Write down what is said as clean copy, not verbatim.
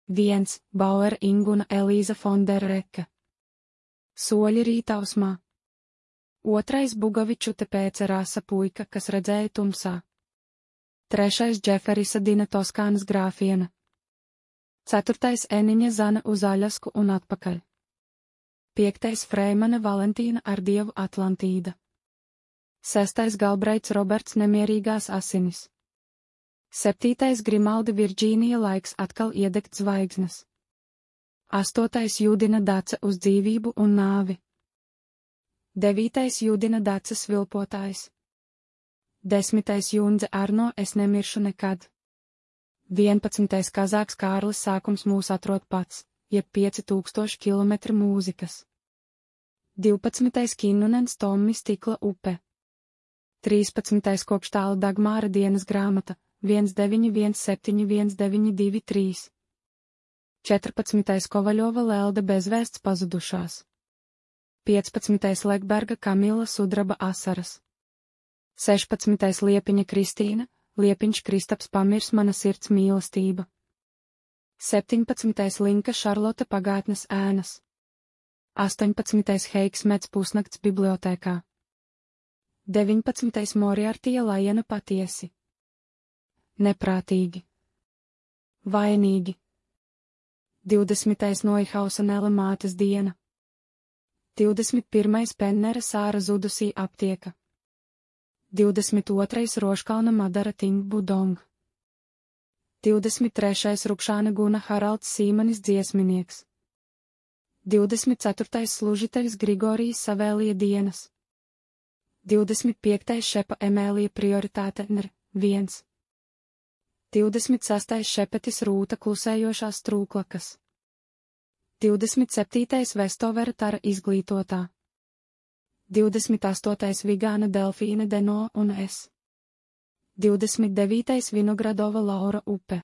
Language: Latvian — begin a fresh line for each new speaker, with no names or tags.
1. Bauer Inguna Elīza Fonderreke. Soļi rītausmā. 2. Bugavičute pēca rasa puika, kas redzēja tumsā. 3. Džeferisa Dina Toskānas grāfiena. 4. Eniņa Zana uz Aļasku un atpakaļ. 5. Freimana Valentīna ar dievu Atlantīda. 6. Galbraits Roberts Nemierīgās asinis. 7. Grimaldi Virģīnija Laiks atkal iedegt zvaigznes. 8. Judina Dace uz dzīvību un nāvi. 9. Judina Dace Svilpotājs. 10. Jundze Arno Es nemiršu nekad. 11. Kazāks Kārlis Sākums mūs atrod pats, jeb 5000 km mūzikas. 12. Kinnunens Tommi Stikla upe. 13. Kokštāla Dagmāra dienas grāmata 19171923. 14. Kovaļova Lelde bezvēsts pazudušās. 15. Lekberga Kamila Sudraba asaras. 16. Liepiņa Kristīna, Liepiņš Kristaps pamirs mana sirds mīlestība. 17. Linka Šarlote pagātnes ēnas. 18. Heiks Mets pusnakts bibliotēkā. 19. Moriartija Lajena patiesi. Neprātīgi. Vainīgi. 20. Noihausa Nela mātes diena. 21. Pennera Sāra zudusī aptieka. 22. Roškalna Madara Ting Budong. 23. Rukšāna Guna Haralds Sīmanis dziesminieks. 24. Služiteļs Grigorijas Savēlija dienas. 25. Šepa Emēlija prioritāte Nr. 1. 26. Šepetis Rūta klusējošās trūklakas. 27. Vestovera Tara izglītotā. 28. Vigāna Delfīne Deno un es. 29. Vinogradova Laura upe.